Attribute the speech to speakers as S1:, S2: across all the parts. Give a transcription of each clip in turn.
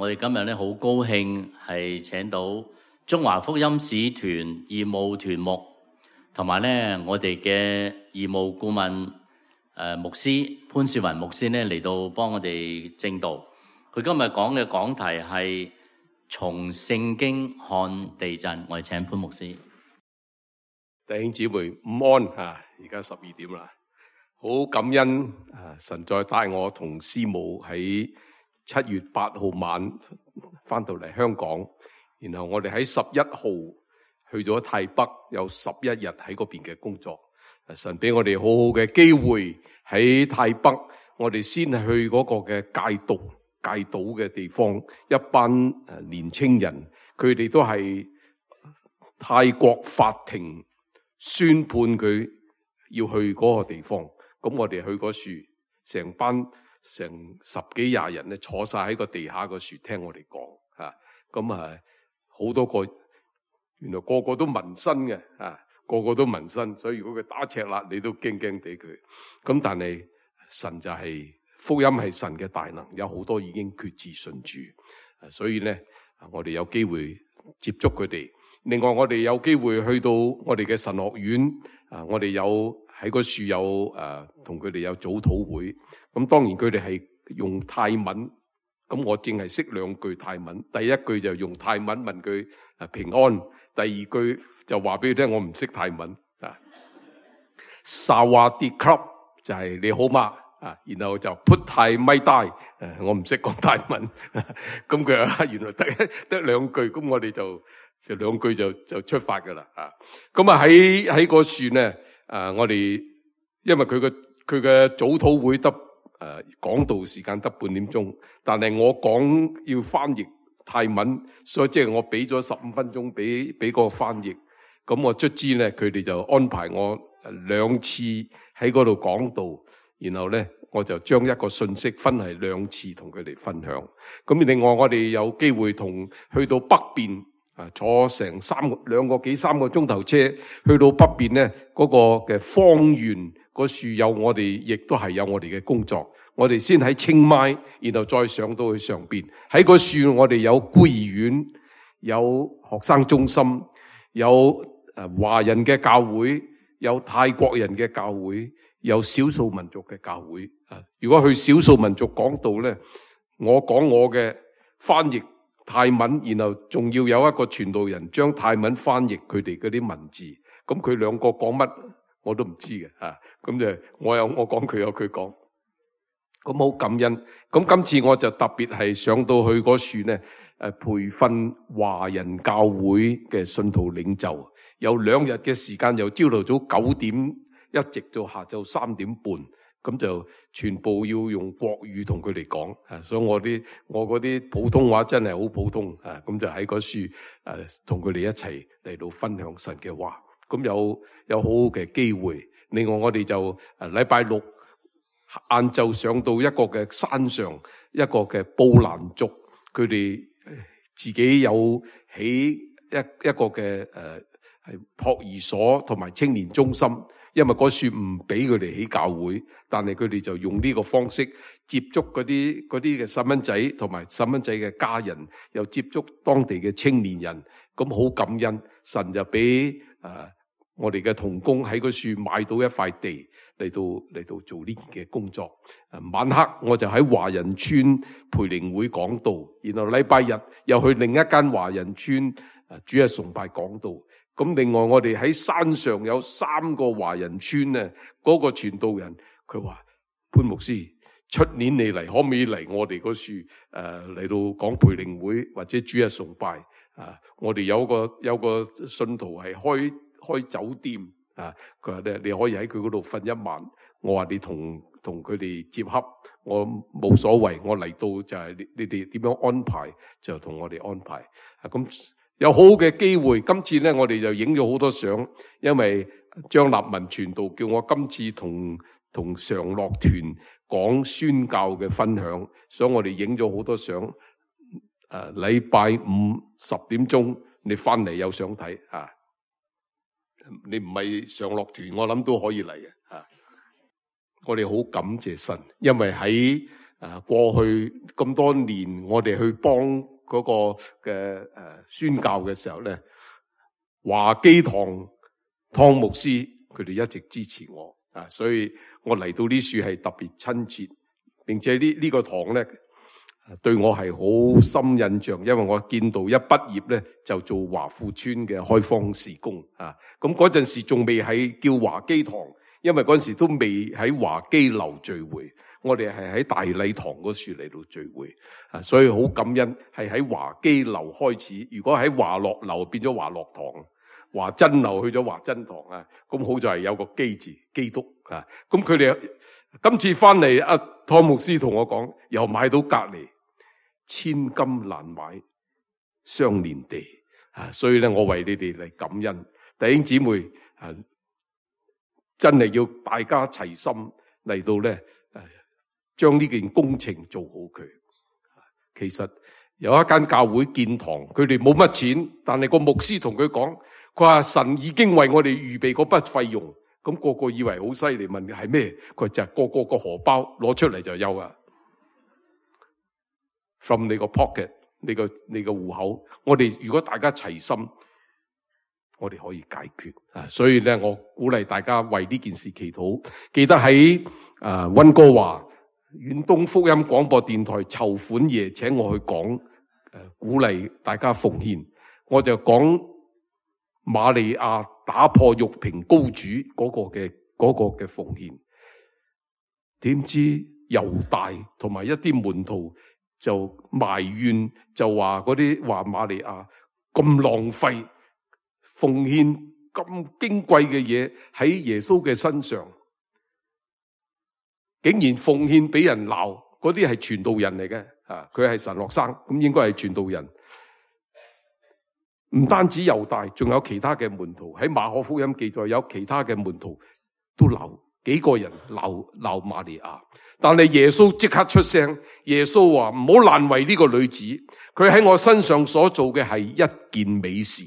S1: 我哋今日咧好高興係請到中華福音使團義務團牧，同埋咧我哋嘅義務顧問牧師潘少雲牧師咧嚟到幫我哋證道。佢今日講嘅講題係從聖經看地震。我哋請潘牧師。
S2: 弟兄姊妹午安啊！而家12點啦，好感恩啊！神再帶我同師母喺7月8號晚翻到嚟香港，然後我哋喺11號去咗泰北，有11日喺嗰邊嘅工作。神俾我哋好好嘅機會喺泰北，我哋先去嗰個嘅戒賭嘅地方，一班年青人，佢哋都係泰國法庭宣判佢要去嗰個地方。咁我哋去嗰樹，成班成10幾20人咧坐晒喺個地下個樹聽我哋講吓。咁好多個，原來個個都紋身嘅啊，個個都紋身，所以如果佢打赤肋，你都驚驚地佢。咁但係神就係、福音係神嘅大能，有好多已經決志信主，所以咧我哋有機會接觸佢哋。另外我哋有機會去到我哋嘅神學院啊，我哋有喺個樹有同佢哋有早禱會。咁當然佢哋係用泰文，咁我淨係識2句泰文。第一句就用泰文問佢平安，第二句就話俾佢聽我唔識泰文啊。薩瓦迪克就係你好嗎啊，然後就พุทธัยไม่ได้，我唔識講泰文。咁佢話原來得2句，咁我哋就2句就出發噶啦啊。咁喺個樹咧，我哋因為佢嘅早禱會得講道時間得半點鐘，但係我講要翻譯泰文，所以即係我俾咗15分鐘俾個翻譯。咁我卒之咧，佢哋就安排我2次喺嗰度講道，然後咧我就將一個信息分係2次同佢哋分享。咁另外我哋有機會去到北邊坐成2個幾3個鐘頭車去到北邊咧，嗰個嘅方圓個樹有我哋，亦都係有我哋嘅工作。我哋先喺清邁，然後再上到去上邊。喺個樹我哋有孤兒院，有學生中心，有華人嘅教會，有泰國人嘅教會，有少數民族嘅教會。如果去少數民族講道咧，我講我嘅翻譯泰文，然後仲要有一個傳道人將泰文翻譯佢哋嗰啲文字。咁佢2個講乜我都唔知嘅吓。咁就我講佢有佢講。咁好感恩。咁今次我就特別係上到去嗰樹咧，培訓華人教會嘅信徒領袖，有2日嘅時間，由朝頭早9點一直到下晝3點半，咁就全部要用國語同佢哋講。所以我嗰啲普通話真係好普通啊。咁就喺嗰樹同佢哋一齊嚟到分享神嘅話。咁有好好嘅機會。另外我哋就禮拜6晏晝上到一個嘅山上，一個嘅布蘭族，佢哋自己有起一個嘅係托兒所同埋青年中心。因為嗰樹唔俾佢哋起教會，但係佢哋就用呢個方式接觸嗰啲嘅細蚊仔同埋細蚊仔嘅家人，又接觸當地嘅青年人。咁好感恩，神就俾我哋嘅同工喺個樹買到一塊地嚟到做呢件嘅工作。晚黑我就喺華人村培靈會講道，然後禮拜日又去另一間華人村主日崇拜講道。咁另外我哋喺山上有3個華人村咧，嗰個傳道人佢話：潘牧師，出年你嚟可唔可以嚟我哋個樹嚟到講培靈會或者主日崇拜？我哋有個信徒係開酒店啊，佢話咧你可以喺佢嗰度瞓1晚。我話你同佢哋接洽，我冇所謂，我嚟到就係你哋點樣安排就同我哋安排。咁有好嘅機會，今次咧我哋就影咗好多相，因為張立文傳道叫我今次同常樂團講宣教嘅分享，所以我哋影咗好多相。禮拜5 10點鐘你翻嚟有相睇啊！你唔係常樂團，我諗都可以嚟嘅啊！我哋好感謝神，因為喺過去咁多年我哋去幫嗰個嘅宣教嘅時候咧，華基堂湯牧師佢哋一直支持我所以我嚟到呢處係特別親切，並且呢個堂咧對我係好深印象，因為我見到一畢業咧就做華富村嘅開荒事工咁嗰陣時仲未係叫華基堂，因為嗰陣時都未喺華基樓聚會，我哋係喺大禮堂嗰處嚟到聚會所以好感恩係喺華基樓開始。如果喺華樂樓變咗華樂堂，華真樓去咗華真堂咁好在係有個基字基督咁佢哋今次翻嚟湯牧師同我講，又買到隔離千金難買相連地所以咧我為你哋嚟感恩。弟兄姊妹真係要大家齊心嚟到咧將呢件工程做好佢。其實有一間教會建堂，佢哋冇乜錢，但係個牧師同佢講，佢話神已經為我哋預備嗰筆費用。咁個個以為好犀利，問係咩？佢就係個荷包攞出嚟就有from 你個 pocket， 你個戶口。我哋如果大家齊心，我哋可以解決所以咧，我鼓勵大家為呢件事祈禱。記得喺溫哥華遠東福音廣播電台籌款夜，請我去講鼓勵大家奉獻。我就講瑪利亞打破玉瓶膏主嗰個嘅奉獻。點知猶大同埋一啲門徒就埋怨，就話嗰啲話瑪利亞咁浪費，奉獻咁矜貴嘅嘢喺耶穌嘅身上，竟然奉獻俾人鬧。嗰啲係傳道人嚟嘅佢係神學生，咁應該係傳道人。唔單止猶大，仲有其他嘅門徒。喺馬可福音記載有其他嘅門徒都鬧，幾個人鬧瑪利亞。但係耶穌即刻出聲，耶穌話唔好難為呢個女子，佢喺我身上所做嘅係一件美事。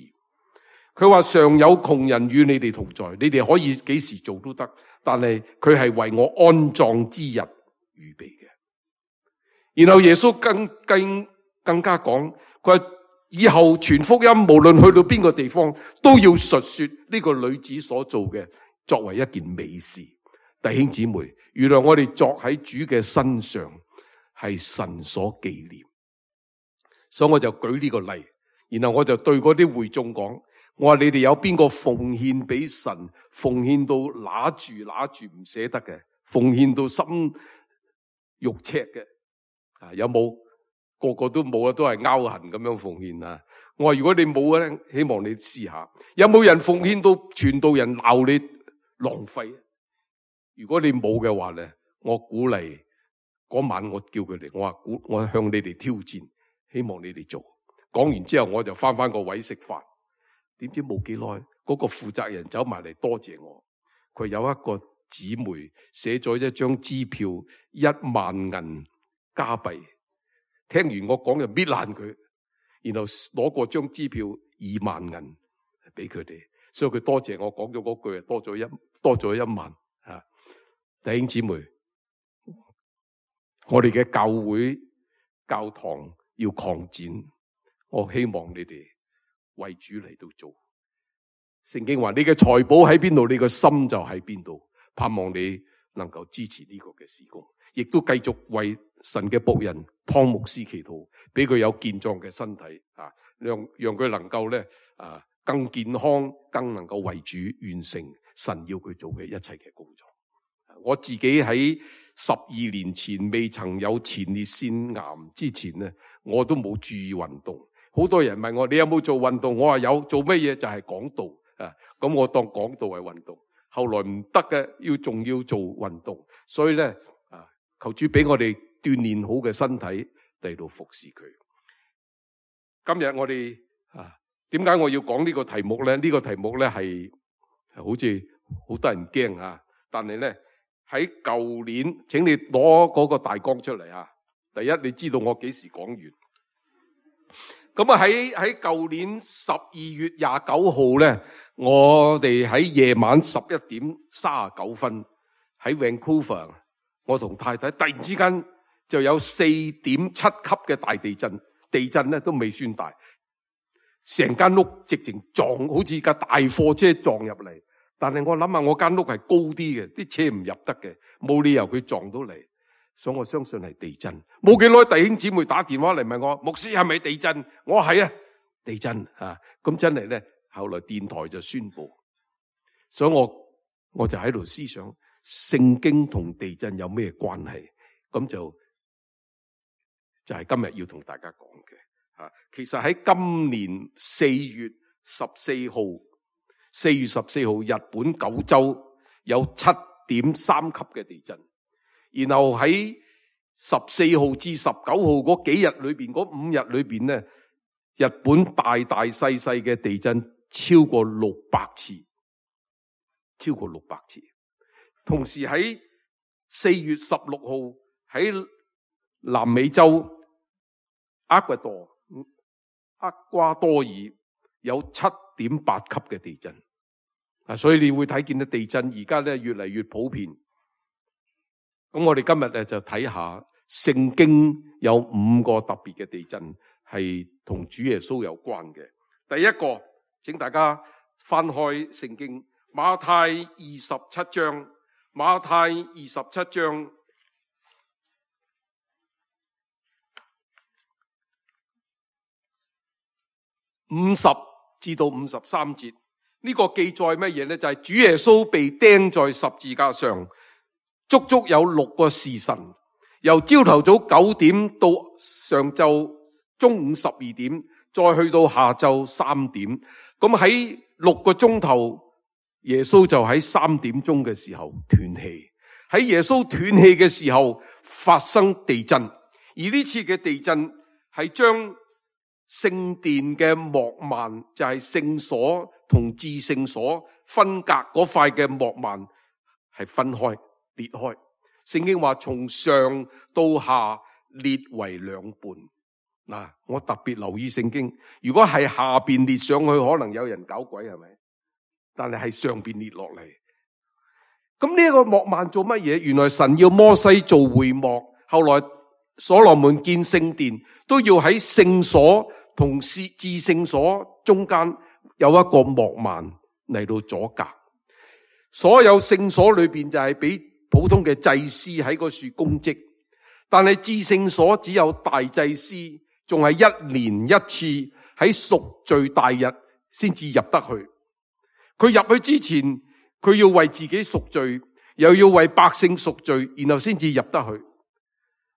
S2: 佢話常有窮人與你哋同在，你哋可以幾時做都得，但係佢係為我安葬之日預備嘅。然後耶穌更加講，佢話以後傳福音，無論去到邊個地方，都要述說呢個女子所做嘅作為一件美事。弟兄姊妹，原來我哋作喺主嘅身上係神所紀念，所以我就舉呢個例，然後我就對嗰啲會眾講，我話你哋有邊個奉獻俾神，奉獻到揦住唔捨得嘅，奉獻到心肉赤嘅有冇？個個都冇都係拗痕咁樣奉獻我話如果你冇咧，希望你試下，有冇人奉獻到傳道人鬧你浪費？如果你冇嘅話咧，我鼓勵嗰晚我叫佢哋，我向你哋挑戰，希望你哋做。講完之後我就翻個位食飯，點知冇幾耐，嗰個負責人走埋嚟多謝我。佢有一個姊妹寫咗一張支票10000銀加幣，聽完我講就搣爛佢，然後攞過張支票20000銀俾佢哋，所以佢多謝我講咗嗰句，多咗1萬。弟兄姊妹，我哋嘅教會教堂要擴展，我希望你哋為主嚟到做。聖經話你嘅財寶喺邊度，你嘅心就喺邊度。盼望你能夠支持呢個嘅事工，亦都繼續為神嘅僕人湯牧師祈禱，俾佢有健壯嘅身體讓佢能夠咧更健康，更能夠為主完成神要佢做嘅一切嘅工作。我自己喺12年前未曾有前列腺癌之前咧，我都冇注意運動。好多人問我你有冇做運動，我話有，做乜嘢？就係講道咁我當講道係運動。後來唔得嘅，仲要做運動，所以咧求主俾我哋鍛煉好嘅身體嚟到服侍佢。今日我哋點解我要講呢個題目咧？呢個題目咧係好似好得人驚但係咧喺舊年，請你攞嗰個大綱出嚟第一，你知道我幾時講完？咁喺舊年12月29號咧，我哋喺夜晚11點39分喺 Vancouver， 我同太太突然之間就有 4.7 級嘅大地震，地震咧都未算大，成間屋直情撞，好似架大貨車撞入嚟。但係我諗下，我間屋係高啲嘅，啲車唔入得嘅，冇理由佢撞到嚟，所以我相信係地震。冇幾耐，弟兄姊妹打電話嚟問我，牧師係咪地震？我話係啊，地震啊！咁真係咧，後來電台就宣布，所以我就喺度思想，聖經同地震有咩關係？咁就係今日要同大家講嘅。其實喺今年4月14號，日本九州有 7.3 級嘅地震，然後喺14號至19號嗰幾日裏邊，嗰5日裏邊咧，日本大細嘅地震超過600次，超過600次。同時喺4月16號喺南美洲厄瓜多爾有 7.8 級嘅地震。所以你會睇見到地震而家咧越嚟越普遍。咁我哋今日咧就睇下聖經有5個特別嘅地震係同主耶穌有關嘅。第一個，請大家翻開聖經馬太27章，馬太27章50至到53節。呢個記載乜嘢呢？就係主耶穌被釘在十字架上，足足有6個時辰，由朝頭早9點到上晝中午12點，再去到下晝3點。咁喺6個鐘頭，耶穌就喺3點鐘嘅時候斷氣。喺耶穌斷氣嘅時候發生地震，而呢次嘅地震係將聖殿嘅幕幔，就係聖所同至聖所分隔嗰塊嘅幕幔係分開裂開。聖經話從上到下裂為兩半。嗱，我特別留意聖經，如果係下邊裂上去，可能有人搞鬼，係咪？但係上邊裂落嚟。咁呢個幕幔做乜嘢？原來神要摩西做會幕，後來所羅門建聖殿都要喺聖所同至聖所中間有一個幕幔嚟到阻隔。所有聖所裏邊就係俾普通嘅祭司喺嗰處供職，但係至聖所只有大祭司，仲係1年1次喺贖罪大日先至入得去。佢入去之前，佢要為自己贖罪，又要為百姓贖罪，然後先至入得去。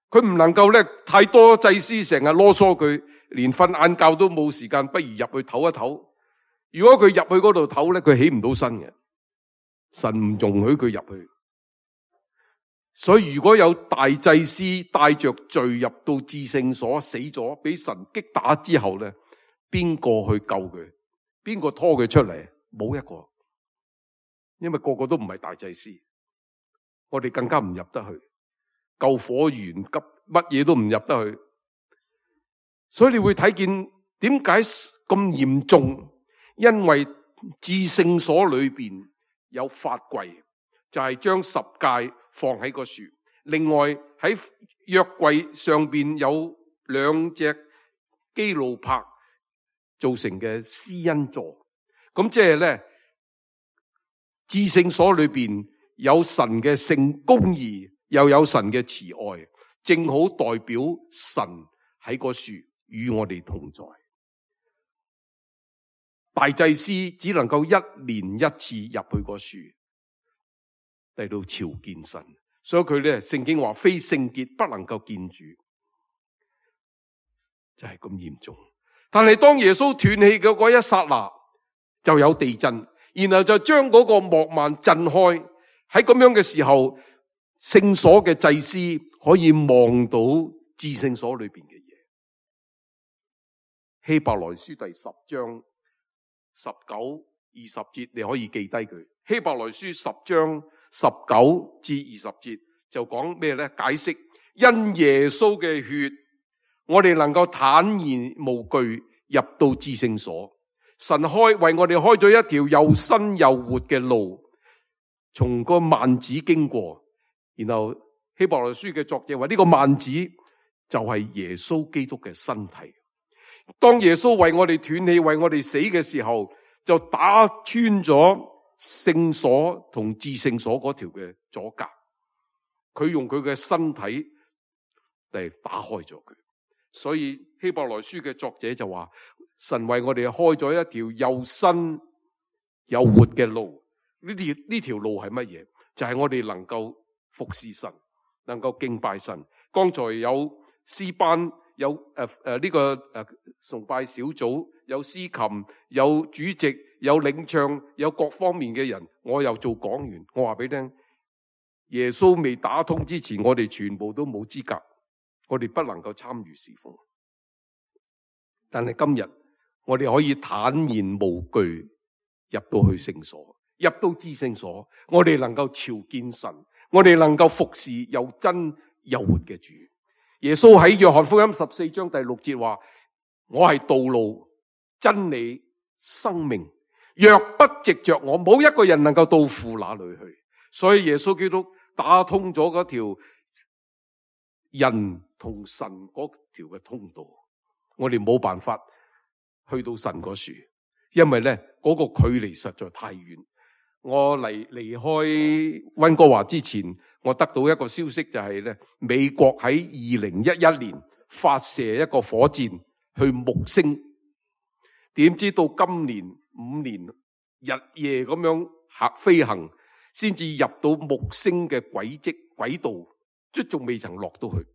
S2: 佢唔能夠咧，太多祭司成日囉嗦佢，連瞓晏覺都冇時間，不如入去唞一唞。如果佢入去嗰度唞咧，佢起唔到身嘅，神唔容許佢入去。所以如果有大祭司帶着罪入到至聖所死咗，俾神擊打之後咧，邊個去救佢？邊個拖佢出嚟？冇一個，因為個個都唔係大祭司，我哋更加唔入得去。救火員急乜嘢都唔入得去，所以你會睇見點解咁嚴重？因為至聖所裏邊有法櫃，就係將十誡放喺個樹。另外喺約櫃上邊有2隻基路伯造成嘅施恩座。咁即係咧，至聖所裏邊有神嘅聖公義，又有神嘅慈愛，正好代表神喺個樹與我哋同在。大祭司只能夠1年1次入去個樹嚟到朝見神，所以佢咧聖經話非聖潔不能夠見主，就係咁嚴重。但係當耶穌斷氣嘅嗰一剎那，就有地震，然後就將嗰個幕幔震開。喺咁樣嘅時候，聖所嘅祭司可以望到至聖所裏邊嘅嘢。希伯來書第10章19、20節，你可以記低佢。希伯來書10章19至20節就講咩呢？解釋因耶穌嘅血，我哋能夠坦然無懼入到至聖所。神為我哋開咗一條又新又活嘅路，從個幔子經過。然後希伯來書嘅作者話呢個幔子就係耶穌基督嘅身體。當耶穌為我哋斷氣、為我哋死嘅時候，就打穿咗聖所同至聖所嗰條嘅阻隔。佢用佢嘅身體嚟打開咗佢。所以希伯來書嘅作者就話，神為我哋開咗一條又新又活嘅路。呢條路係乜嘢？就係我哋能夠服侍神，能夠敬拜神。剛才有詩班，有呢個崇拜小組，有司琴，有主席，有領唱，有各方面嘅人。我又做講員，我話俾你聽，耶穌未打通之前，我哋全部都冇資格，我哋不能夠參與侍奉。但係今日我哋可以坦然無懼入到去聖所，入到至聖所，我哋能夠朝見神，我哋能夠服侍又真又活嘅主。耶穌喺約翰福音14章第6節話，我係道路、真理、生命，若不藉着我，冇一個人能夠到父那裏去。所以耶穌基督打通咗嗰條人同神嗰條嘅通道，我哋冇辦法去到神嗰處，因為咧嗰個距離實在太遠。我離開溫哥華之前，我得到一個消息，就係咧美國喺2011年發射一個火箭去木星，點知到今年5年日夜咁樣飛行，先至入到木星嘅軌道，即仲未曾落到去。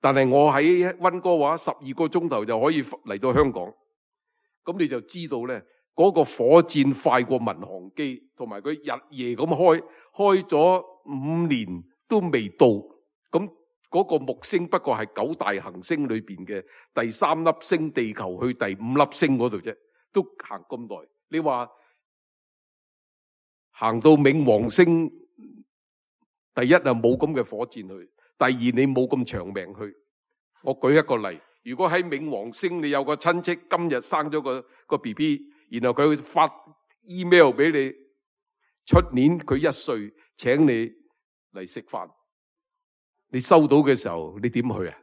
S2: 但係我喺溫哥華12個鐘頭就可以嚟到香港，咁你就知道咧，嗰個火箭快過民航機，同埋佢日夜咁開咗5年都未到。咁嗰個木星不過係9大行星裏邊嘅第3粒星，地球去第5粒星嗰度啫，都行咁耐。你話行到冥王星，第一啊冇咁嘅火箭去，第二你冇咁長命去。我舉一個例，如果喺冥王星你有個親戚今日生咗個 BB， 然後佢會發 email 俾你，出年佢1歲，請你嚟食飯，你收到嘅時候你點去啊？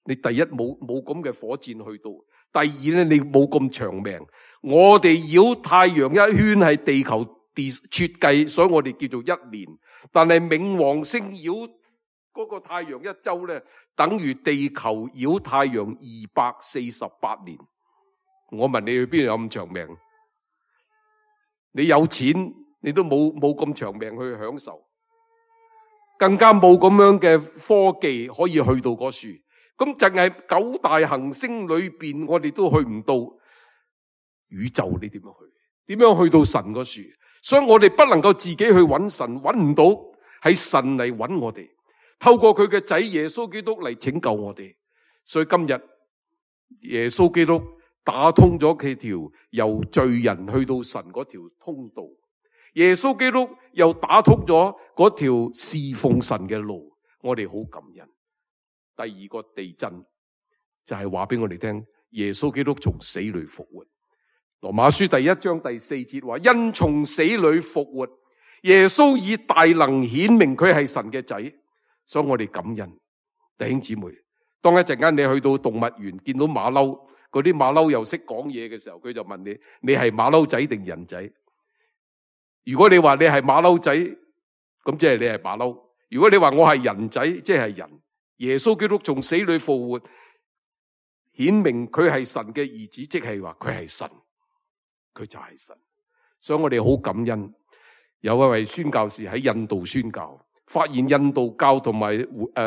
S2: 你第一冇咁嘅火箭去到，第二咧你冇咁長命。我哋繞太陽一圈係地球設計，所以我哋叫做1年，但係冥王星繞嗰個太陽一周咧，等於地球繞太陽248年。我問你去邊度有咁長命？你有錢你都冇咁長命去享受，更加冇咁樣嘅科技可以去到嗰處。咁淨係9大行星裏邊，我哋都去唔到宇宙，你點樣去？點樣去到神嗰處？所以我哋不能夠自己去揾神，揾唔到，係神嚟揾我哋，透過佢嘅仔耶穌基督嚟拯救我哋。所以今日耶穌基督打通咗佢條由罪人去到神嗰條通道，耶穌基督又打通咗嗰條侍奉神嘅路，我哋好感恩。第二個地震就係話俾我哋聽，耶穌基督從死裏復活。羅馬書第1章第4節話，因從死裏復活，耶穌以大能顯明佢係神嘅仔，所以我哋感恩。弟兄姊妹，當一陣間你去到動物園見到馬騮，嗰啲馬騮又識講嘢嘅時候，佢就問你，你係馬騮仔定人仔？如果你話你係馬騮仔，咁即係你係馬騮。如果你話我係人仔，即係人。耶穌基督從死裏復活，顯明佢係神嘅兒子，即係話佢係神，佢就係神。所以我哋好感恩，有一位宣教士喺印度宣教，發現印度教同埋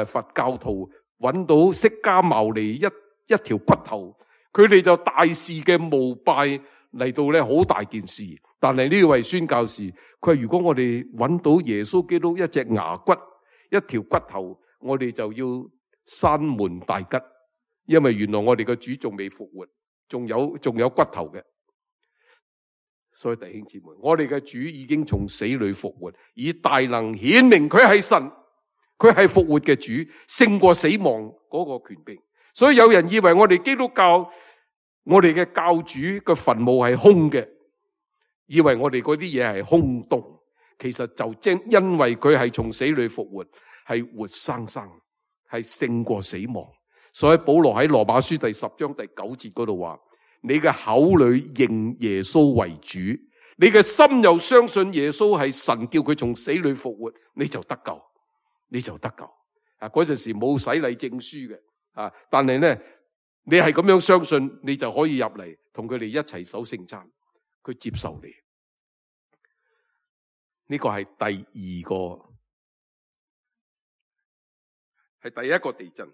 S2: 佛教徒揾到釋迦牟尼一條骨頭，佢哋就大肆嘅膜拜嚟到咧，好大件事。但係呢位宣教士，佢話如果我哋揾到耶穌基督一隻牙骨，一條骨頭，我哋就要閂門大吉，因為原來我哋嘅主仲未復活，仲有骨頭嘅。所以弟兄姊妹，我哋嘅主已經從死裏復活，以大能顯明佢係神，佢係復活嘅主，勝過死亡嗰個權柄。所以有人以為我哋基督教，我哋嘅教主嘅墳墓係空嘅，以為我哋嗰啲嘢係空洞。其實就正因為佢係從死裏復活，係活生生，係勝過死亡。所以保羅喺羅馬書第10章第9節嗰度話：你嘅口裏認耶穌為主，你嘅心又相信耶穌係神叫佢從死裏復活，你就得救，你就得救。嗰陣時冇洗禮證書嘅，但係咧你係咁樣相信，你就可以入嚟同佢哋一齊守聖餐，佢接受你。呢個係第二個，係第一個地震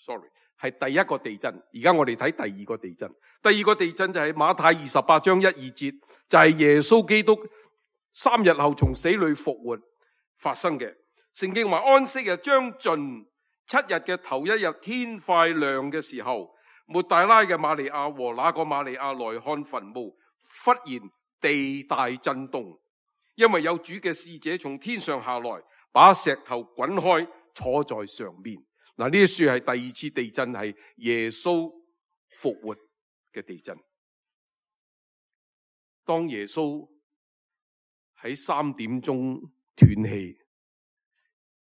S2: ，sorry， 係第一個地震。而家我哋睇第二個地震。第二個地震就係馬太28章1、2節，就係耶穌基督3日後從死裏復活發生嘅。聖經話安息日將盡，7日嘅頭一日天快亮嘅時候，抹大拉嘅瑪利亞和那個瑪利亞來看墳墓，忽然地大震動，因為有主嘅使者從天上下來，把石頭滾開，坐在上面。嗱，呢啲書係第二次地震，係耶穌復活嘅地震。當耶穌喺3點鐘斷氣，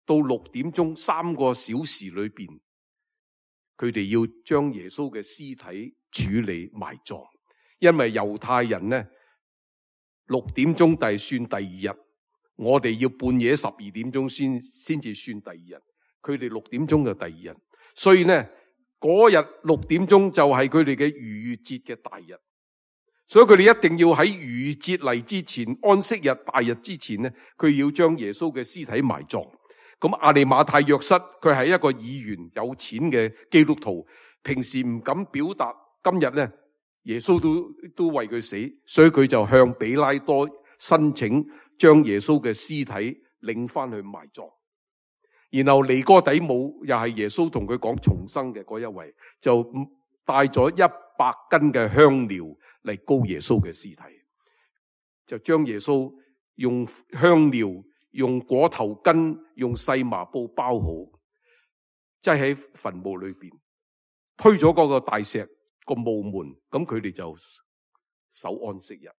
S2: 到6點鐘3個小時裏邊，佢哋要將耶穌嘅屍體處理埋葬，因為猶太人呢6點鐘就算第二日，我哋要半夜12點鐘先至算第二日，佢哋6點鐘就第二日，所以呢嗰日6點鐘就係佢哋嘅逾越節嘅大日，所以佢哋一定要喺逾越節嚟之前，安息日大日之前呢，佢要將耶穌嘅屍體埋葬。咁亞利馬太約瑟佢係一個議員，有錢嘅基督徒，平時唔敢表達，今日呢耶穌都為佢死，所以佢就向比拉多申請將耶穌嘅屍體領翻去埋葬。然後尼哥底母又係耶穌同佢講重生嘅嗰一位，就帶咗100斤嘅香料嚟膏耶穌嘅屍體，就將耶穌用香料、用裹頭巾、用細麻布包好，即係喺墳墓裏邊推咗嗰個大石個墓門，咁佢哋就守安息日。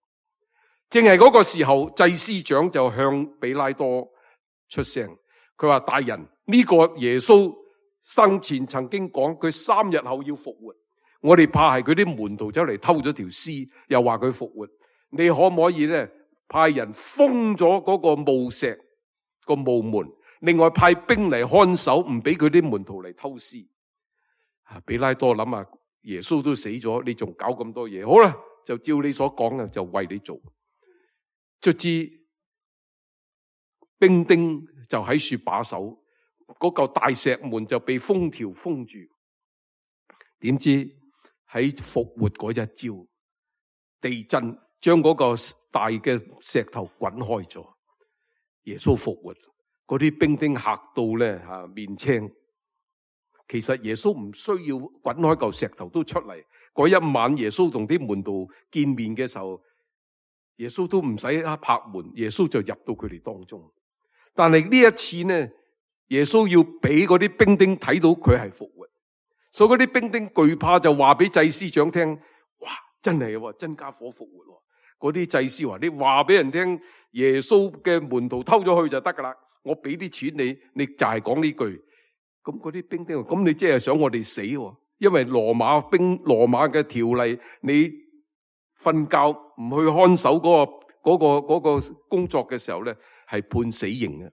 S2: 正係嗰個時候，祭司長就向比拉多出聲，佢話：大人，呢個耶穌生前曾經講佢3日後要復活，我哋怕係佢啲門徒走嚟偷咗條屍，又話佢復活，你可唔可以咧派人封咗嗰個墓石個墓門，另外派兵嚟看守，唔俾佢啲門徒嚟偷屍。比拉多諗下，耶穌都死咗，你仲搞咁多嘢？好啦，就照你所講嘅，就為你做。卒之兵丁就喺處把守，嗰嚿大石門就被封條封住。點知喺復活嗰一朝，地震將嗰個大嘅石頭滾開咗，耶穌復活，嗰啲兵丁嚇到咧面青。其實耶穌唔需要滾開嚿石頭都出嚟。嗰一晚耶穌同啲門徒見面嘅時候，耶穌都唔使拍門，耶穌就入到佢哋當中。但係呢一次呢，耶穌要俾嗰啲兵丁睇到佢係復活，所以嗰啲兵丁懼怕，就話俾祭司長聽：哇，真係喎，真家伙復活。嗰啲祭司話：你話俾人聽，耶穌嘅門徒偷咗去就得噶啦，我俾啲錢你，你就係講呢句。咁嗰啲兵丁話：咁你即係想我哋死？因為羅馬嘅條例，你瞓覺唔去看守嗰個工作嘅時候咧，係判死刑嘅。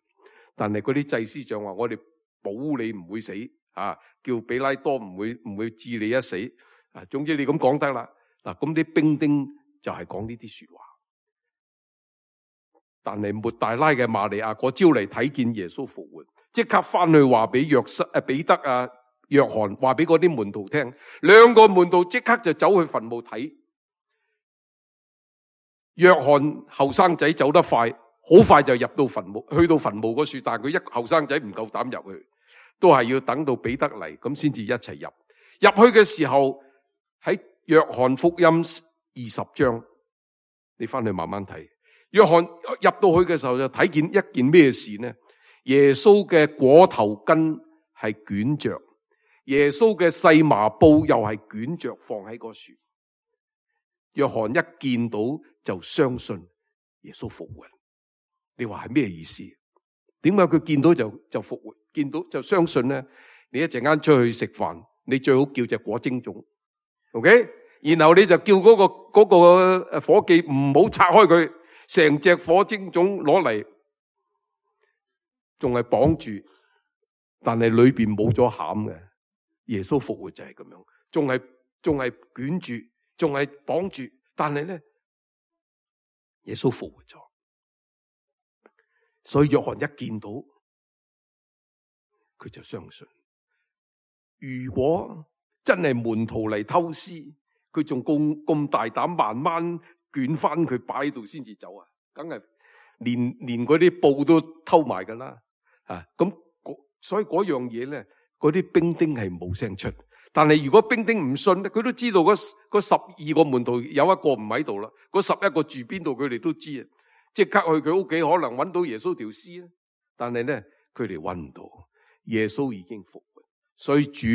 S2: 但係嗰啲祭司長話：我哋保你唔會死，叫比拉多唔會置你一死。總之你咁講得啦。嗱，咁啲兵丁就係講呢啲說話。但係抹大拉嘅瑪利亞嗰朝嚟睇見耶穌復活，即刻翻去話俾彼得約翰，話俾嗰啲門徒聽。兩個門徒即刻就走去墳墓睇。約翰後生仔走得快，好快就入到墳墓，去到墳墓嗰處，但係佢後生仔唔夠膽入去，都係要等到彼得嚟咁先至一齊入。入去嘅時候喺約翰福音20章，你翻去慢慢睇。約翰入到去嘅時候就睇見一件咩事呢？耶穌嘅裹頭巾係捲着，耶穌嘅細麻布又係捲着放喺個樹。約翰一見到就相信耶穌復活。你話係咩意思？點解佢見到就復活，見到就相信咧？你一陣間出去食飯，你最好叫隻果蒸粽 ，OK？ 然後你就叫嗰個伙計唔好拆開佢，成隻果蒸粽攞嚟，仲係綁住，但係裏邊冇咗餡嘅。耶穌復活就係咁樣，仲係捲住，仲係綁住，但係咧，耶穌復活咗。所以約翰一見到佢就相信。如果真係門徒嚟偷師，佢仲咁大膽，慢慢捲翻佢擺喺度先至走啊？梗係連嗰啲布都偷埋噶啦啊！咁所以嗰樣嘢咧，嗰啲兵丁係冇聲出。但係如果兵丁唔信咧，佢都知道嗰12個門徒有一個唔喺度啦，嗰11個住邊度，佢哋都知啊！即刻去佢屋企，可能揾到耶穌條屍啊！但係咧，佢哋揾唔到，耶穌已經復活，所以主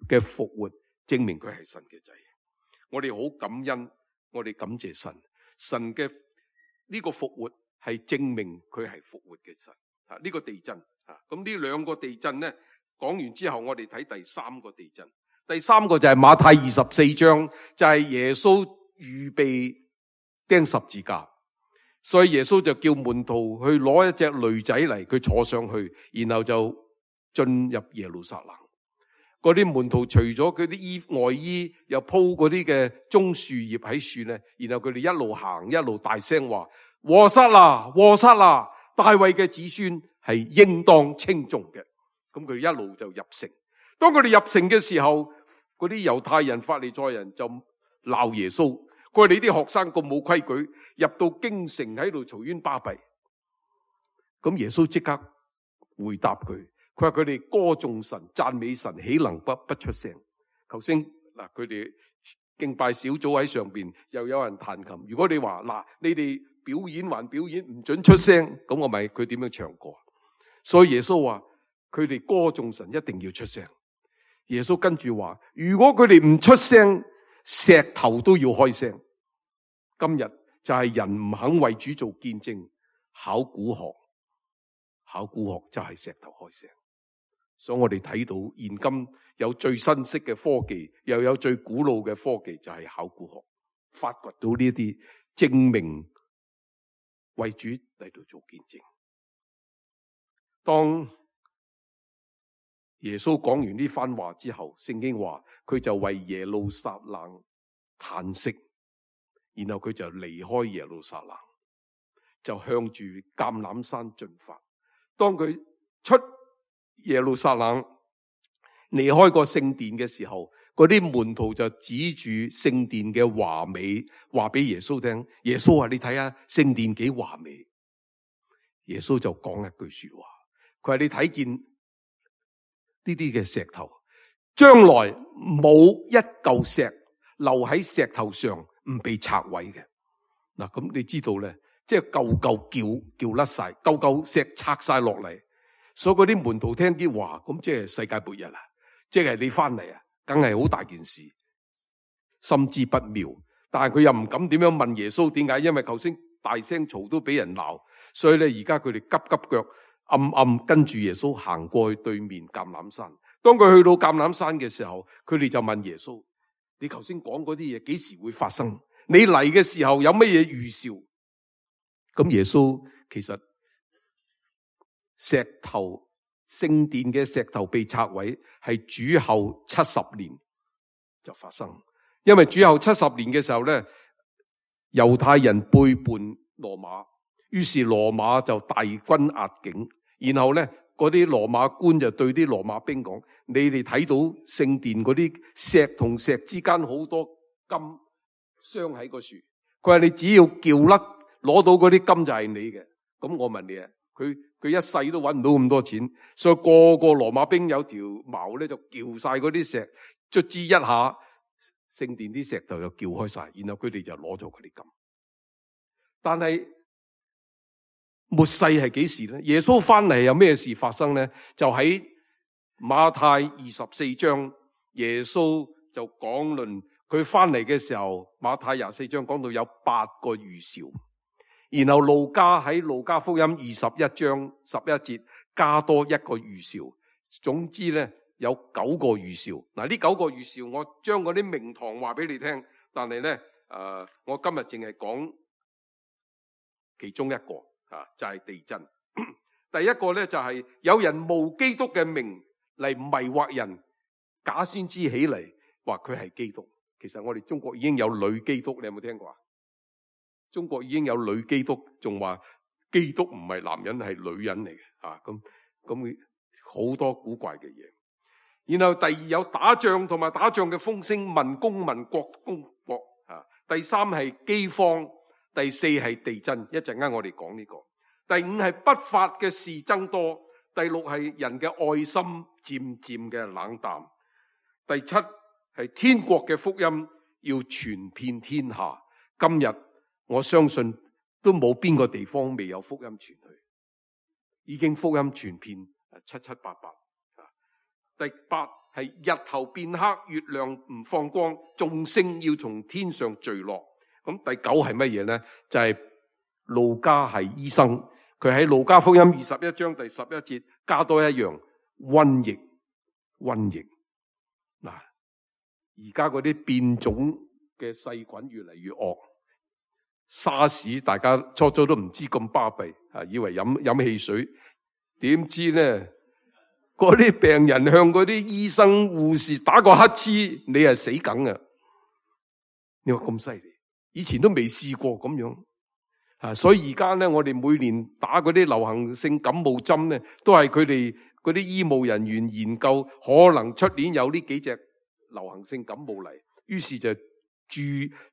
S2: 嘅復活證明佢係神嘅仔。我哋好感恩，我哋感謝神，神嘅呢個復活係證明佢係復活嘅神啊！呢個地震啊，咁呢兩個地震咧講完之後，我哋睇第三個地震。第三個就係馬太24章，就係耶穌預備釘十字架。所以耶穌就叫門徒去攞一隻驢仔嚟，佢坐上去，然後就進入耶路撒冷。嗰啲門徒除咗佢啲外衣，又鋪嗰啲嘅棕樹葉喺樹咧，然後佢哋一路行一路大聲話：和散那，和散那，大衛嘅子孫係應當稱頌嘅。咁佢哋一路就入城。當佢哋入城嘅時候，嗰啲猶太人、法利賽人就鬧耶穌。佢話你啲學生咁冇規矩，入到京城喺度嘈冤巴閉。咁耶穌即刻回答佢，佢話佢哋歌頌神、讚美神，豈能不出聲？頭先嗱，佢哋敬拜小組喺上邊，又有人彈琴。如果你話嗱，你哋表演還表演，唔准出聲，咁我咪佢點樣唱歌？所以耶穌話佢哋歌頌神一定要出聲。耶穌跟住話，如果佢哋唔出聲，石頭都要開聲。今日就係人唔肯為主做見證，考古學就係石頭開聲。所以我哋睇到現今有最新式嘅科技，又有最古老嘅科技，就係考古學發掘到呢啲證明為主嚟到做見證。當耶穌講完呢番話之後，聖經話佢就為耶路撒冷嘆息。然後佢就離開耶路撒冷，就向住橄欖山進發。當佢出耶路撒冷，離開個聖殿嘅時候，嗰啲門徒就指住聖殿嘅華美，話俾耶穌聽。耶穌話：你睇下聖殿幾華美。耶穌就講一句說話，佢話：你睇見呢啲嘅石頭，將來冇一嚿石留喺石頭上唔被拆毀嘅。嗱，咁你知道咧，即係嚿嚿叫甩晒，嚿石拆晒落嚟。所以嗰啲門徒聽啲話，咁即係世界末日啦，即係你翻嚟啊，梗係好大件事，心知不妙。但係佢又唔敢點樣問耶穌點解，因為頭先大聲嘈都俾人鬧，所以咧而家佢哋急腳暗跟住耶穌行過去對面橄欖山。當佢去到橄欖山嘅時候，佢哋就問耶穌：你頭先講嗰啲嘢幾時會發生？你嚟嘅時候有乜嘢預兆？咁耶穌其實聖殿嘅石頭被拆毀係主後70年就發生，因為主後70年嘅時候咧，猶太人背叛羅馬，於是羅馬就大軍壓境，然後咧嗰啲羅馬官就對啲羅馬兵講：你哋睇到聖殿嗰啲石同石之間好多金鑲喺個樹，佢話你只要撬甩攞到嗰啲金就係你嘅。咁我問你啊，佢一世都搵唔到咁多錢，所以個羅馬兵有條矛咧就撬晒嗰啲石，卒之一下聖殿啲石頭就撬開晒，然後佢哋就攞咗佢啲金。但係末世係幾時咧？耶穌翻嚟有咩事發生咧？就喺馬太24章，耶穌就講論佢翻嚟嘅時候，馬太24章講到有8個預兆，然後路加喺路加福音21章11節加多一個預兆。總之咧有9個預兆。嗱，呢9個預兆我將嗰啲名堂話俾你聽，但係咧我今日淨係講其中一個就係地震。第一個咧就係有人冒基督嘅名嚟迷惑人，假先知起嚟話佢係基督。其實我哋中國已經有女基督，你有冇聽過啊？中國已經有女基督，仲話基督唔係男人係女人嚟嘅。咁好多古怪嘅嘢。然後第二有打仗同埋打仗嘅風聲，民攻民國攻國。第三係饑荒，第四係地震。一陣間我哋講呢個。第五係不法嘅事增多，第六係人嘅愛心漸漸嘅冷淡，第七係天國嘅福音要傳遍天下。今日我相信都冇邊個地方未有福音傳去，已經福音傳遍七七八八。第八係日頭變黑，月亮唔放光，眾星要從天上墜落。咁第九係乜嘢呢？就係路加係醫生，佢喺路加福音21章第11節加多一樣瘟疫。嗱，而家嗰啲變種嘅細菌越嚟越惡。沙士大家初初都唔知咁巴閉，以為飲汽水，點知呢？嗰啲病人向嗰啲醫生護士打個乞嗤，你係死梗啊！你話咁犀利，以前都未試過咁樣。所以而家咧，我哋每年打嗰啲流行性感冒針咧，都係佢哋嗰啲醫務人員研究，可能出年有呢幾隻流行性感冒嚟，於是就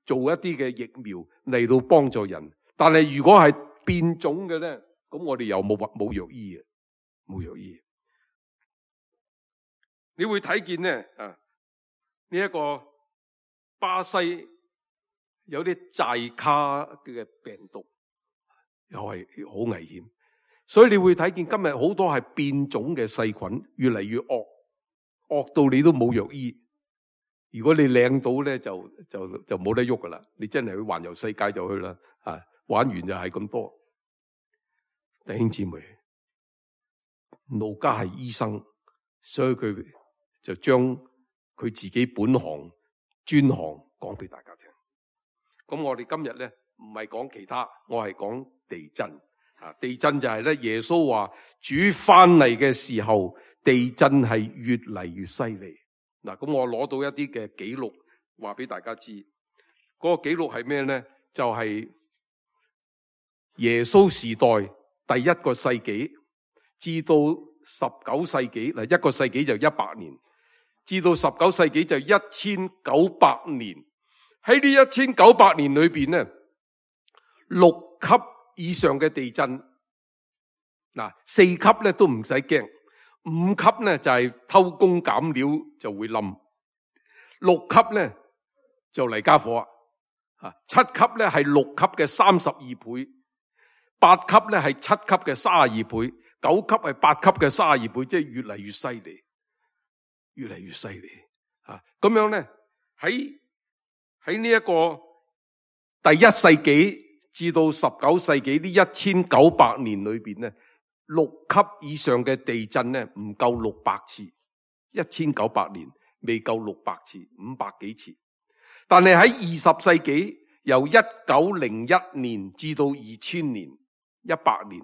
S2: 做一啲嘅疫苗嚟到幫助人。但係如果係變種嘅咧，咁我哋又冇藥醫嘅，冇藥醫。你會睇見咧呢一個巴西有啲寨卡嘅病毒，又係好危險。所以你會睇見今日好多係變種嘅細菌，越嚟越惡到你都冇藥醫。如果你領到咧，就冇得喐噶啦。你真係去環遊世界就去啦，玩完就係咁多。弟兄姊妹，路加係醫生，所以佢就將佢自己本行專行講俾大家聽。咁我哋今日咧唔係講其他，我係講地震。地震就係咧，耶穌話主翻嚟嘅時候，地震係越嚟越犀利。嗱，咁我攞到一啲嘅記錄，話俾大家知。嗰個記錄係咩咧？就係耶穌時代第一個世紀至到19世紀，嗱，一個世紀就100年，至到19世紀就1900年。喺呢1900年裏邊咧，6級以上嘅地震，嗱，4級咧都唔使驚，5級咧就係偷工減料就會冧，6級咧就嚟家伙，7級咧係6級嘅32倍，8級咧係7級嘅32倍，9級係8級嘅32倍，即係越嚟越犀利，越嚟越犀利咁樣咧喺呢一個第1世紀至到19世紀呢1900年裏邊咧，6級以上嘅地震咧唔夠600次，1900年未夠600次，500幾次。但係喺20世紀由1901年至到2000年100年，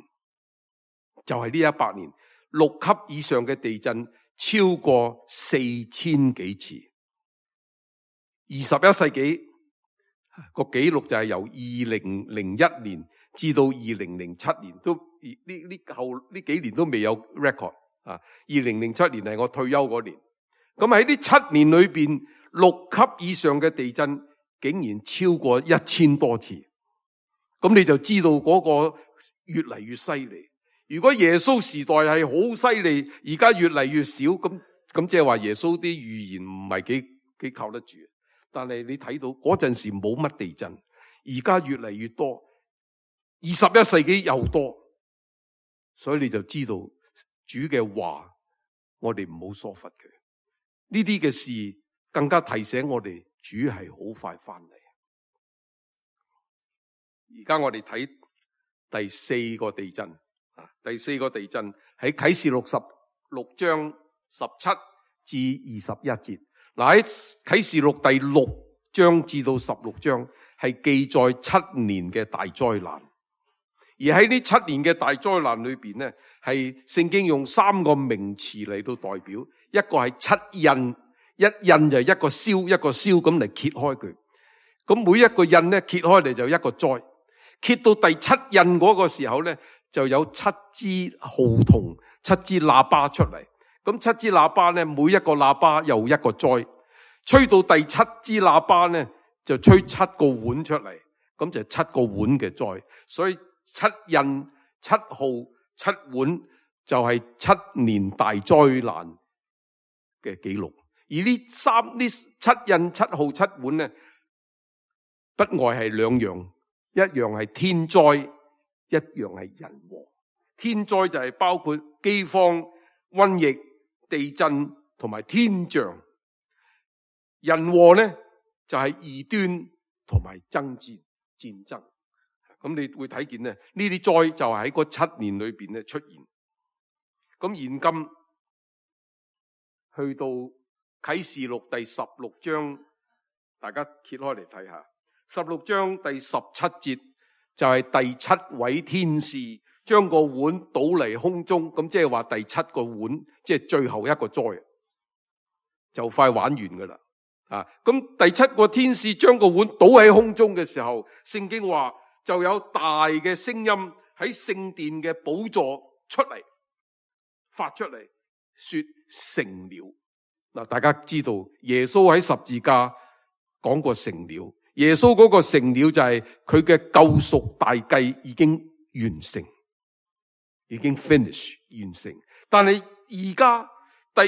S2: 就係呢100年6級以上嘅地震超過4000幾次。21世紀個紀錄就係由2001年至到2007年，都呢幾年都未有 record 2007年係我退休嗰年。咁喺呢7年裏邊，6級以上嘅地震竟然超過1000多次。咁你就知道嗰個越嚟越犀利。如果耶穌時代係好犀利，而家越嚟越少，咁即係話耶穌啲預言唔係幾靠得住。但係你睇到嗰陣時冇乜地震，而家越嚟越多，21世紀又多，所以你就知道主嘅話，我哋唔好疏忽佢。呢啲嘅事更加提醒我哋，主係好快翻嚟。而家我哋睇第四個地震。第四個地震喺啟示錄16章17至21節。喺啟示錄第6章至到16章係記載7年嘅大災難。而喺呢7年嘅大災難裏邊呢，係聖經用3個名詞嚟到代表，一個係7印，一印就係一個燒一個燒咁嚟揭開佢。咁每一個印呢，揭開嚟就一個災，揭到第7印嗰個時候呢，就有7支號筒、7支喇叭出嚟。咁7支喇叭呢，每一個喇叭又一個災，吹到第7支喇叭呢，就吹7個碗出嚟，咁就7個碗嘅災。所以7印、7號、7碗就係7年大災難嘅記錄。而呢7印、7號、7碗呢，不外係2樣，一樣係天災，一樣係人禍。天災就係包括饑荒、瘟疫、地震同埋天象。人禍呢就係異端同埋爭戰爭。咁你會睇見呢啲災就係喺嗰7年裏邊咧出現。咁現今去到啟示錄第16章，大家揭開嚟睇下。16章第17節就係第7位天使將個碗倒嚟空中，咁即係話第7個碗即係最後一個災，就快玩完噶啦。咁第7個天使將個碗倒喺空中嘅時候，聖經話就有大嘅聲音喺聖殿嘅寶座出嚟，發出嚟說成了。嗱，大家知道耶穌喺十字架講過成了，耶穌嗰個成了就係佢嘅救贖大計已經完成，已經 finish 完成。但係而家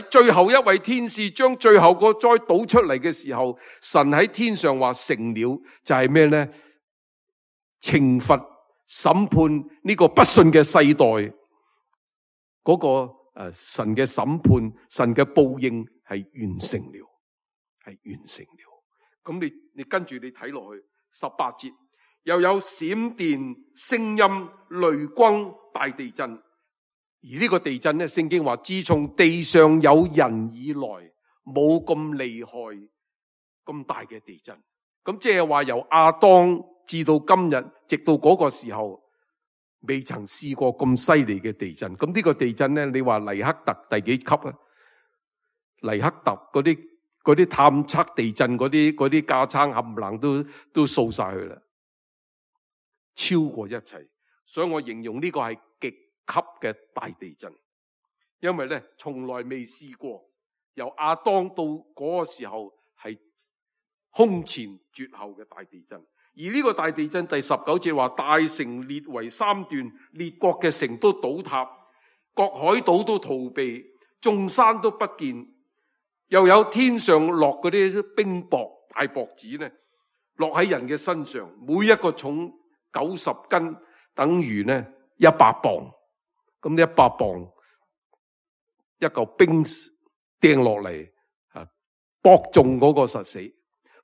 S2: 最後一位天使將最後個災倒出嚟嘅時候，神喺天上話成了，就係咩呢？懲罰審判呢個不信嘅世代，嗰個神嘅審判，神嘅報應係完成了，係完成了。咁你跟住你睇落去18節，又有閃電、聲音、雷轟、大地震。而呢個地震咧，聖經話自從地上有人以來，冇咁厲害咁大嘅地震。咁即係話由亞當至到今日，直到嗰個時候，未曾試過咁犀利嘅地震。咁呢個地震咧，你話黎克特第幾級啊？黎克特嗰啲探測地震嗰啲架撐冚唪唥都掃晒去啦，超過一切。所以我形容呢個係極級嘅大地震，因為咧從來未試過，由亞當到嗰個時候係空前絕後嘅大地震。而呢個大地震第19節話，大城裂為3段，列國嘅城都倒塌，各海島都逃避，眾山都不見。又有天上落嗰啲冰雹、大雹子呢，落喺人嘅身上，每一個重90斤，等於呢100磅。咁呢100磅一嚿冰掟落嚟，搏中嗰個實死，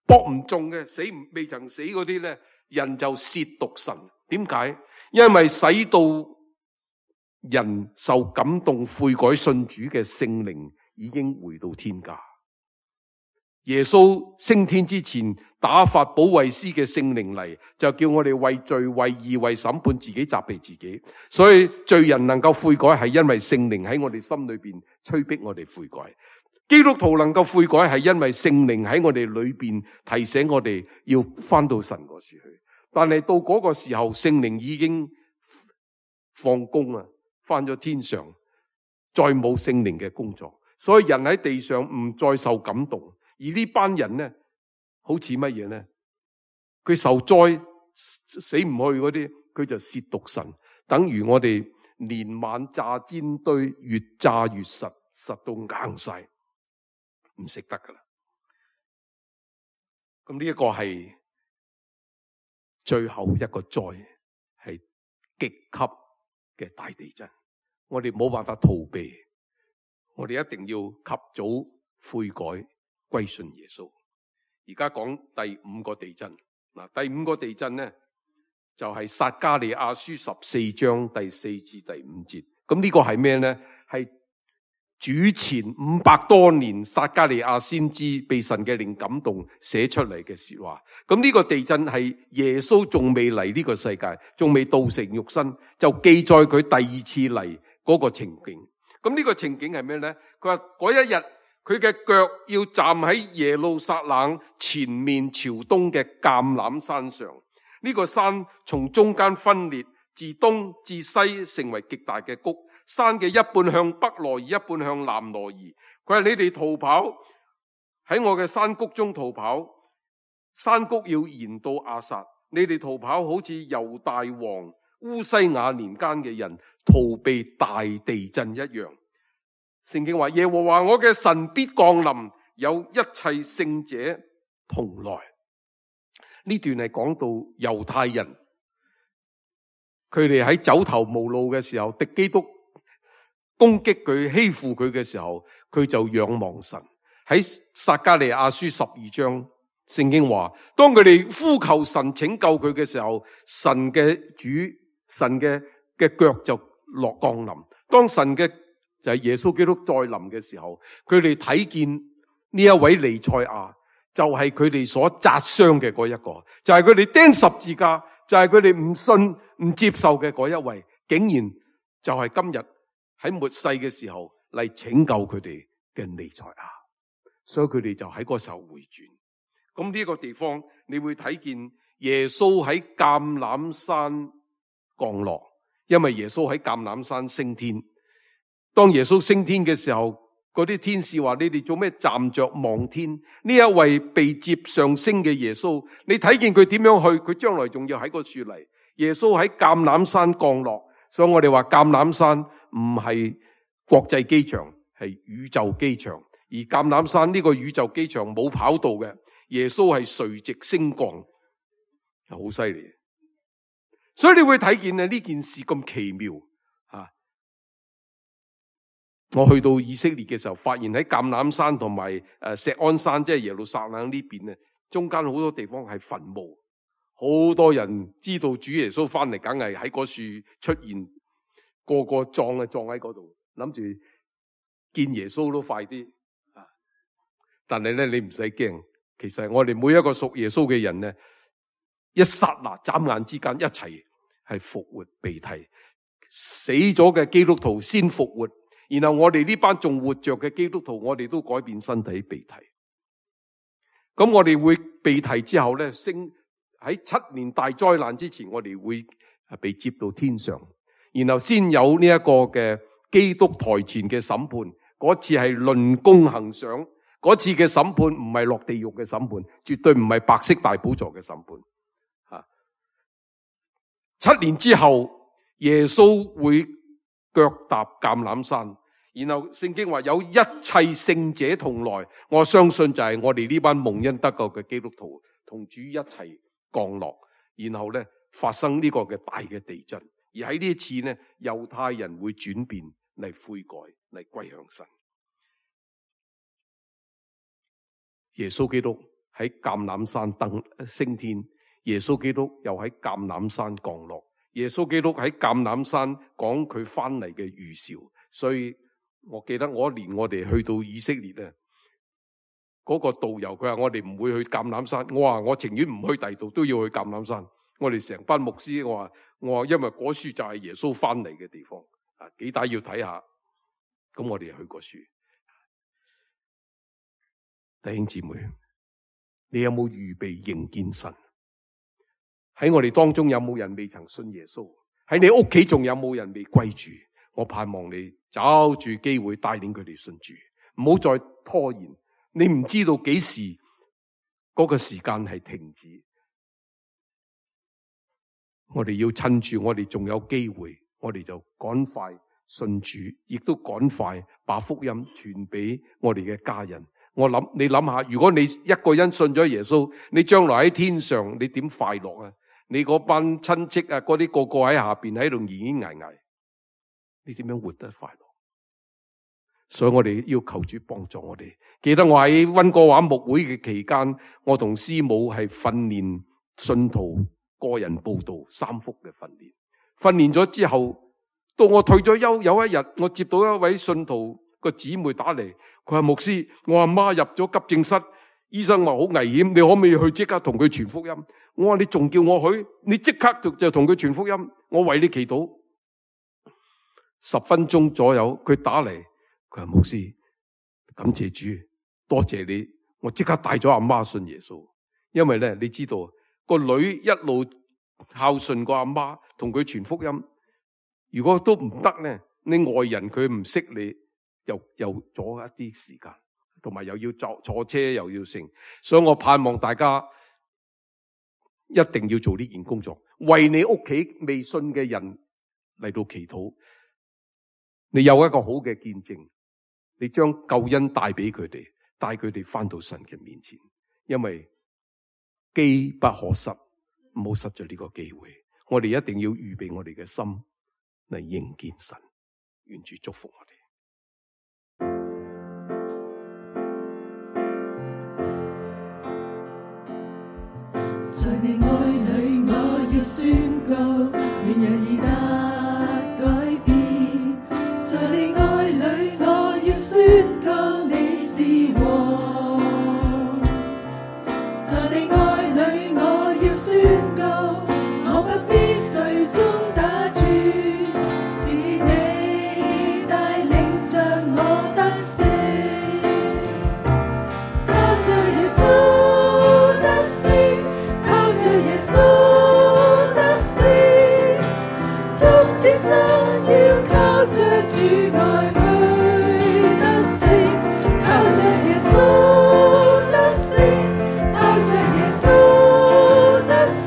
S2: 搏唔中嘅未曾死嗰啲咧，人就褻瀆神。點解？因為使到人受感動悔改信主嘅聖靈已經回到天家。耶穌升天之前打發保惠師嘅聖靈嚟，就叫我哋為罪、為義、為審判自己責備自己。所以罪人能夠悔改，係因為聖靈喺我哋心裏邊催逼我哋悔改。基督徒能夠悔改，係因為聖靈喺我哋裏邊提醒我哋要翻到神嗰處去。但係到嗰個時候，聖靈已經放工啦，翻咗天上，再冇聖靈嘅工作。所以人喺地上唔再受感動。而呢班人呢，好似乜嘢呢？佢受災死唔去嗰啲，佢就褻瀆神，等於我哋連晚炸煎堆，越炸越實，實到硬晒，唔食得噶啦。咁呢一個係最後一個災，係極級嘅大地震，我哋冇辦法逃避，我哋一定要及早悔改。歸信耶穌。而家講第5個地震。嗱，第5個地震呢，就係撒迦利亞書14章第4至第5節。咁呢個係咩呢？係主前500多年撒迦利亞先知被神嘅靈感動寫出嚟嘅說話。咁呢個地震係耶穌仲未嚟呢個世界，仲未道成肉身，就記載佢第二次嚟嗰個情景。咁呢個情景係咩呢？佢話嗰一日佢嘅腳要站喺耶路撒冷前面朝東嘅橄欖山上。呢個山從中間分裂，自東至西成為極大嘅谷。山嘅一半向北挪移，一半向南挪移。佢話你哋逃跑，喺我嘅山谷中逃跑，山谷要延到亞撒。你哋逃跑好似猶大王烏西雅年間嘅人逃避大地震一樣。聖經話耶和華我嘅神必降臨，有一切聖者同來。呢段係講到猶太人，佢哋喺走投無路嘅時候，敵基督攻擊佢、欺負佢嘅時候，佢就仰望神。喺撒迦利亞書12章，聖經話，當佢哋呼求神拯救佢嘅時候，神嘅腳就落降臨。當神嘅就係耶穌基督再臨嘅時候，佢哋睇見呢一位彌賽亞，就係佢哋所扎傷嘅嗰一個，就係佢哋釘十字架，就係佢哋唔信唔接受嘅嗰一位，竟然就係今日喺末世嘅時候嚟拯救佢哋嘅彌賽亞，所以佢哋就喺嗰時候回轉。咁呢個地方你會睇見耶穌喺橄欖山降落，因為耶穌喺橄欖山升天。當耶穌升天嘅時候，嗰啲天使話：你哋做咩站着望天？呢一位被接上升嘅耶穌，你睇見佢點樣去？佢將來仲要喺個樹嚟。耶穌喺橄欖山降落，所以我哋話橄欖山唔係國際機場，係宇宙機場。而橄欖山呢個宇宙機場冇跑道嘅，耶穌係垂直升降，好犀利。所以你會睇見呢件事咁奇妙。我去到以色列嘅時候，發現喺橄欖山同埋錫安山，即係耶路撒冷呢邊咧，中間好多地方係墳墓，好多人知道主耶穌翻嚟，梗係喺嗰處出現，個個葬喺嗰度，諗住見耶穌都快啲。但係咧，你唔使驚，其實我哋每一個屬耶穌嘅人咧，一剎那眨眼之間一齊係復活被提，死咗嘅基督徒先復活。然後我哋呢班仲活着嘅基督徒，我哋都改變身體被提。咁我哋會被提之後咧，升喺7年大災難之前，我哋會被接到天上，然後先有呢一個嘅基督台前嘅審判。嗰次係論功行賞，嗰次嘅審判唔係落地獄嘅審判，絕對唔係白色大寶座嘅審判。7年之後，耶穌會腳踏橄欖山，然後聖經話有一切聖者同來，我相信就係我哋呢班蒙恩得救嘅基督徒同主一齊降落，然後咧發生呢個嘅大嘅地震，而喺呢一次咧，猶太人會轉變嚟悔改嚟歸向神。耶穌基督喺橄欖山升天，耶穌基督又喺橄欖山降落。耶穌基督喺橄欖山講佢翻嚟嘅預兆，所以我記得我一年我哋去到以色列咧，嗰個導遊佢話我哋唔會去橄欖山，我話我情願唔去第二度都要去橄欖山。我哋成班牧師，我話因為嗰處就係耶穌翻嚟嘅地方，幾大要睇下，咁我哋去嗰處。弟兄姊妹，你有冇預備迎見神？喺我哋當中有冇人未曾信耶穌？喺你屋企仲有冇人未歸主？我盼望你找住機會帶領佢哋信主，唔好再拖延。你唔知道幾時嗰個時間係停止，我哋要趁住我哋仲有機會，我哋就趕快信主，亦都趕快把福音傳俾我哋嘅家人。你諗下，如果你一個人信咗耶穌，你將來喺天上你點快樂啊？你嗰班親戚啊，嗰啲個個喺下邊喺度咿咿捱捱，你點樣活得快樂？所以我哋要求主幫助我哋。記得我喺溫哥華牧會嘅期間，我同師母係訓練信徒個人佈道3幅嘅訓練。訓練咗之後，到我退咗休，有一日我接到一位信徒個姊妹打嚟，佢話牧師，我阿媽入咗急症室，醫生話好危險，你可唔可以去即刻同佢傳福音？我話你仲叫我去？你即刻就同佢傳福音，我為你祈禱。10分鐘左右，佢打嚟，佢話牧師，感謝主，多謝你，我即刻帶咗阿媽信耶穌。因為咧，你知道個女一路孝順個阿媽，同佢傳福音。如果都唔得咧，你外人佢唔識你，又阻一啲時間，同埋又要坐車又要成，所以我盼望大家一定要做呢件工作，為你屋企未信嘅人嚟到祈禱。你有一個好嘅見證，你將救恩帶俾佢哋，帶佢哋翻到神嘅面前，因為機不可失，唔好失咗呢個機會。我哋一定要預備我哋嘅心嚟迎見神，願主祝福我哋。
S3: 在你愛裏，我要宣告，願人已得改變。在你愛裏，我要宣告，你是王。在你愛裏，我要宣告，我不必最終打轉，是你帶領着我得勝。靠着耶穌得勝，靠着耶穌得勝，終此生要靠着主愛去得勝，靠着耶穌得勝，靠着耶穌得勝。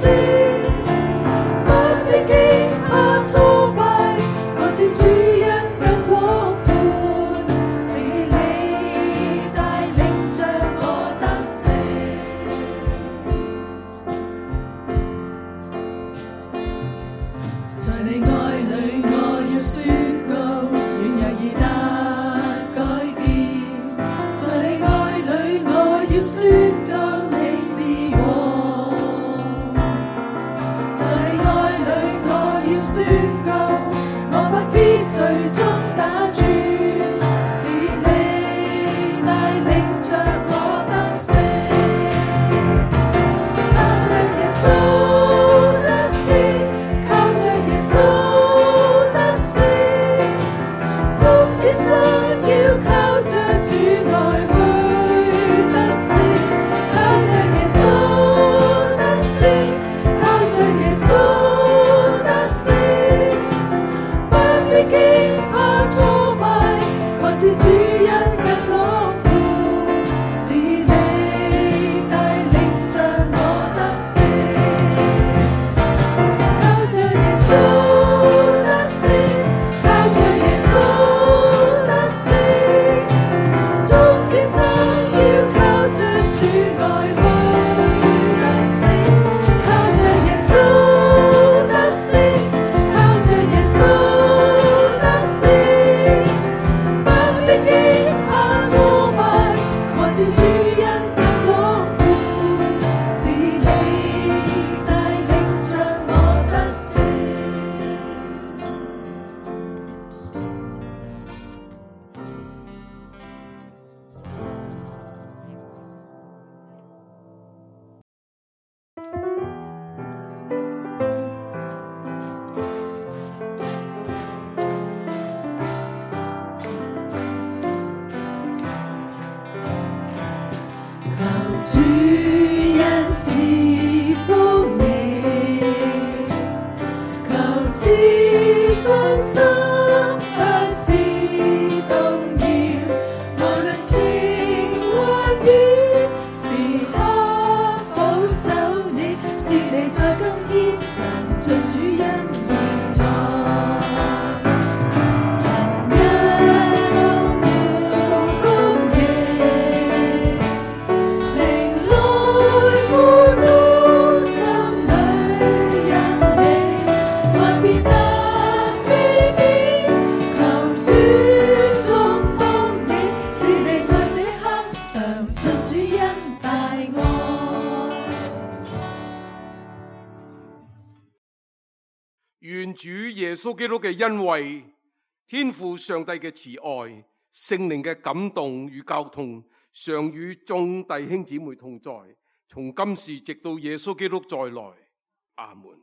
S2: 願主耶穌基督嘅恩惠、天父上帝嘅慈愛、聖靈嘅感動與交通，常與眾弟兄姊妹同在，從今時直到耶穌基督再來。阿門。